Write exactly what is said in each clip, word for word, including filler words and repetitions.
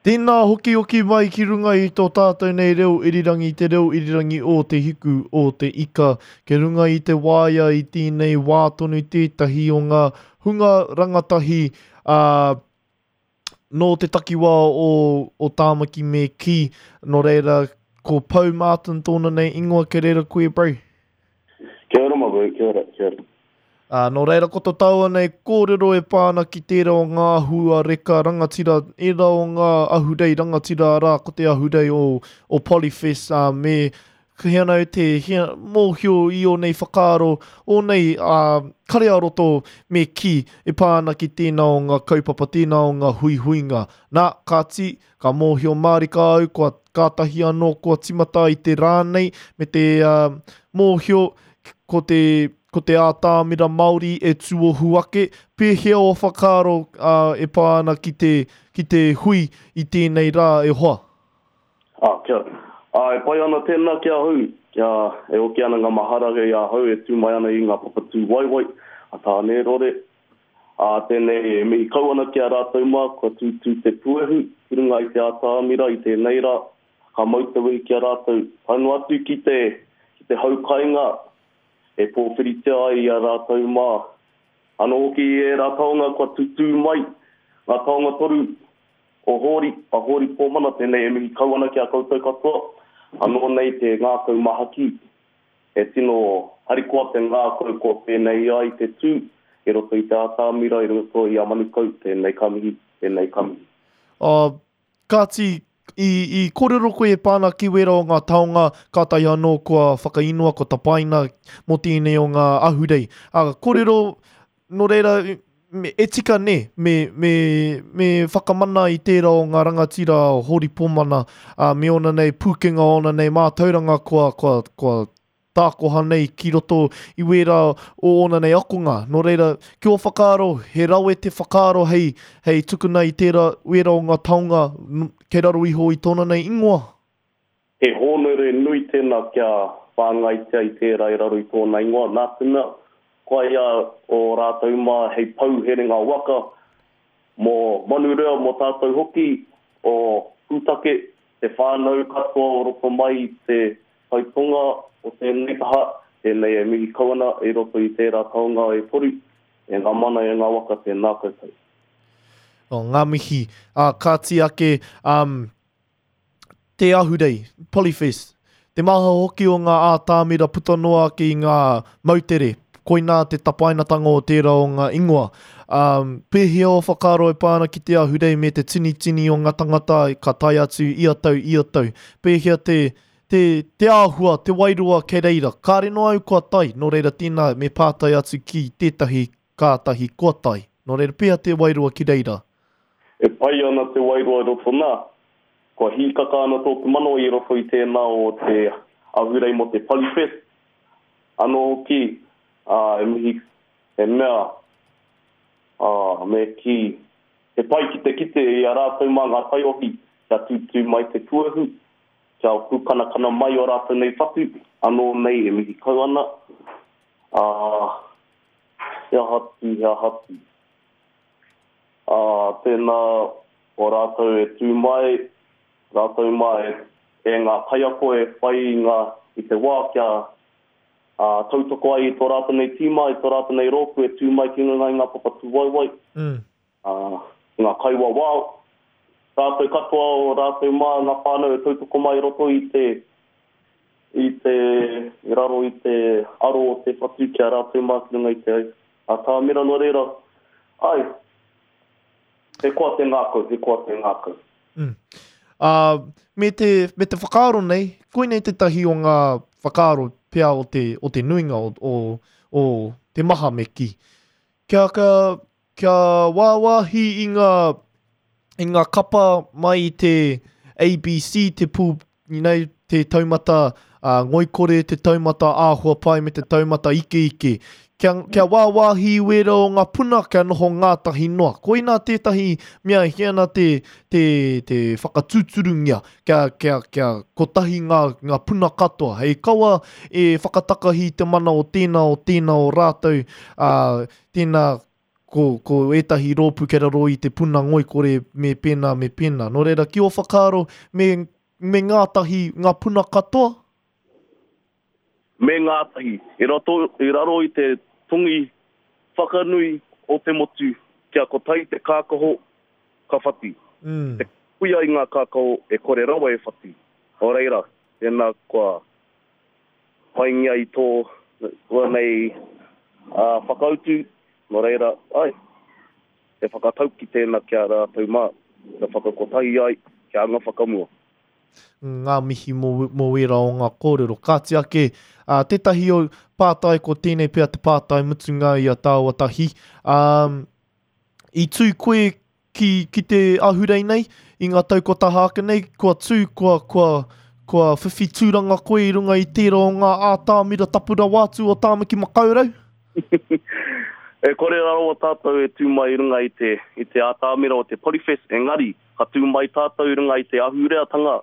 Tēnā hokihoki mai ki runga i tō tātou nei reo irirangi, te reo irirangi o Te Hiku, o Te Ika. Kei runga i te waea i tēnei wā tonu tētahi o ngā hunga rangatahi ā, nō te takiwā o, o Tāmaki me kī. Nō reira, ko Pou Martin tōna nei ingoa, kei reira koe, bro. Kia ora, my bro, kia ora, kia ora. Ā, nō reira ko to tāua nei kōrero e pā ana ki tērā o ngā hua reka rangatira, ērā o ngā ahurei rangatira arā ko te ahurei o, o Polyfest, ā, me he ana te hea, mōhio i ō nei whakaaro, ō nei ā, kare ā-roto me kī e pā ana ki tēnā o ngā kaupapa, tēnā o ngā huihuinga. Nā, kāti, ka mōhio mārika au, kua kātahi anō kua timata i te rā nei, me te ā, mōhio ko te ko te ātamira Māori e tūohu ake, pēhea o whakaaro uh, e pā ana ki te, ki te hui i tēnei rā e hoa? Ah, kia ora. Ah, e pai ana tēnā ki ahau, kia e oki ana ngā mahara i ahau e tū mai ana i ngā papa tūwaewae a Tānerore. Ah, tēnei e mihi kau ana ki a rātou mā, kua tūtū te puehu ki runga i te ātamira i tēnei rā, ka mau te wehi ki a rātou. Tae noa atu ki te, ki te hau kainga e pōwhiritia ai i a rātou mā. Anō hoki i ērā taonga kua tutū mai, ngā taonga toru o Hōri, a Hōri Pōmana, tēnei e mihi kau ana ki a koutou katoa, anō nei te ngākau mahaki, e tino harikoa te ngākau kua pēnei ai te tū i roto i te ātamira, i roto i a Manukau, tēnei ka mihi, tēnei ka mihi. Uh, kāti, i, i kōrero koe e pā ana ki wērā o ngā taonga, kātahi anō kua whakainoa, kua tapaina mō tēnei o ngā ahurei. Uh, kōrero, nō reira, me, e tika nē, me, me, me whakamana i tērā o ngā rangatira o Hōri Pōmana, uh, me ōna nei pūkenga, ōna nei mātauranga kua, kua, kua tākoha nei ki roto i wērā o ōna nei akonga. Nō reira, ki ō whakaaro, he rawe te whakaaro hei, hei tukuna i tērā wērā o ngā taonga kei raro iho i tōna nei ingoa? He hōnore nui tēnā kia whāngaitia i tērā i raro i tōna ingoa. Nā te mea, koia o rātou mā hei pou herenga waka mō Manurewa, mō tātou hoki o Pūtake, te whānau katoa o roto mai i te taitonga o tēnei taha, tēnei e mihi kau ana i roto i tērā taonga e toru, e ngā mana e ngā waka tēnā koutou. Oh, ngā mihi. Uh, kāti ake, um, te ahurei, Polyfest, te maha hoki o ngā ātamira puta noa ake i ngā moutere, koinā te tapainatanga o tērā o ngā ingoa. Um, pēhea o whakaaro e pā ana ki te ahurei me te tinitini o ngā tangata ka tae atu ia tau, ia tau. Pēhea te, te, te āhua, te wairua kei reira. Kāre noa au kua tae, nō reira tēnā me pātai atu ki tētahi kātahi kua tae. Nō reira, pēhea te wairua ki reira? E pai ana te wairua i roto nā. Kua hīkaka ana tōku manawa i roto i tēnā o te ahurei mō te Polyfest. Anō hoki, ā, e mihi, he mea, ā, me kī, he pai ki te kite i a rātou mā ngā taiohi kia tūtū mai te puehu, kia pūkanakana mai o rātou nei whatu, anō nei e mihi kau ana, ā, he aha atu, he aha atu. Ā, tēnā o rātou e tū mai, rātou mā e, e ngā kaiako e whai i ngā, i te wā kia ā, tautoko ai i tō rātou nei tīma, i tō rātou nei rōpū e tū mai ki runga i ngā papa tūwaewae, Mm. ā, ngā kaiwawao, rātou katoa o rātou mā ngā whānau e tautoko mai i roto i te, i te, i raro i te aro o te whatu ki a rātou mā ki runga i te ātamira. Nō reira, ai, he koa te ngākau, he koa te ngākau. Mm. Uh, me te, me te whakaaro nei, koinei tētahi o ngā whakaaro pea o te, o te nuinga o, o, o te maha me kī. Kia, kia, kia wāwāhi i ngā, i ngā kapa mai i te A B C, te pū, you know, te taumata uh, ngoikore, te taumata āhua pai me te taumata ikeike. Kia, kia wāwāhi i wērā o ngā puna, kia noho ngātahi noa. Koinā tētahi mea e hia ana te, te, te whakatūturungia, kia, kia, kia kotahi ngā, ngā puna katoa. Hei kawa e whakatakahi te mana o tēnā o tēnā o rātou, uh, tēnā ko, ko ētahi rōpū kei raro i te puna ngoikore me pēnā, me pēnā. Nō reira, ki ō whakaaro, me, me ngātahi ngā puna katoa? Me ngātahi, i, roto, i raro i te tongi whakanui o te motu, kia kotahi te kākaho, ka whati. Mm. Te kuia i ngā kākaho e kore rawa e whati. Nō reira, tēnā kua paingia i tō tō nei uh, whakautu, nō reira, ai, e whakatauki tēnā kia rātou mā, kia whakakotahi ai, kia anga whakamua. Ngā mihi mō, mō wērā o ngā kōrero. Kāti ake, uh, tētahi o pātai ko tēnei pea te pātai mutunga i a tāua tahi. Um, i tū koe ki, ki te ahurei nei, i ngā tau kua taha ake nei, kua tū, kua, kua, kua whiwhi tūranga koe i runga i tērā o ngā ātamira tapu rawa atu o Tāmaki Makaurau? E kore rawa tātou e tū mai i runga i te, i te ātamira o te Polyfest, engari, ka tū mai tātou i runga i te ahureatanga,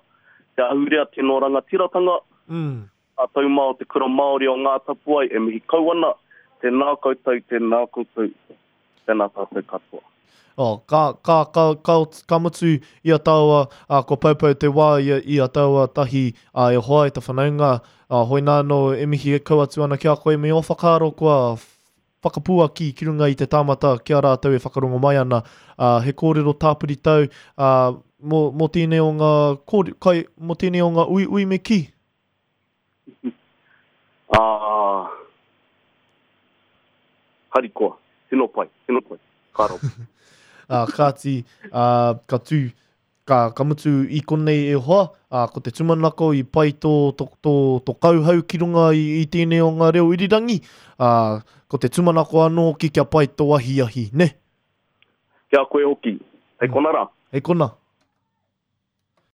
te ahurea tino rangatiratanga, mm. tātou mā o te kura Māori o Ngā Tapuwae e mihi kau ana, tēnā koutou, tēnā koutou, tēnā tātou katoa. Oh, ka, ka, ka, ka, ka mutu i a tāua, uh, ko paupau te wā i a, i a tāua tahi uh, e hoa e te whanaunga, uh, hoi nā no e mihi e kau atu ana ki a koe me o whakaaro kua whakapuaki ki runga i te tāmata ki a rātou e whakarongo mai ana. Uh, he kōrero tāpiri tau uh, mō, mō tēnei o ngā kōre, kai, mō tēnei o ngā ui ui me ki? Ah, harikoa, tino pai, tino pai, ka rau. Uh, kāti, uh, ka tū, ka, ka mutu i konei e hoa, uh, ko te tūmanako i pai tō, tō, tō, tō kauhau ki runga i, i tēnei o ngā reo irirangi, uh, ko te tūmanako anō hoki kia pai tō ahiahi, ne? Kia koe hoki, hei kona rā. Hei kona.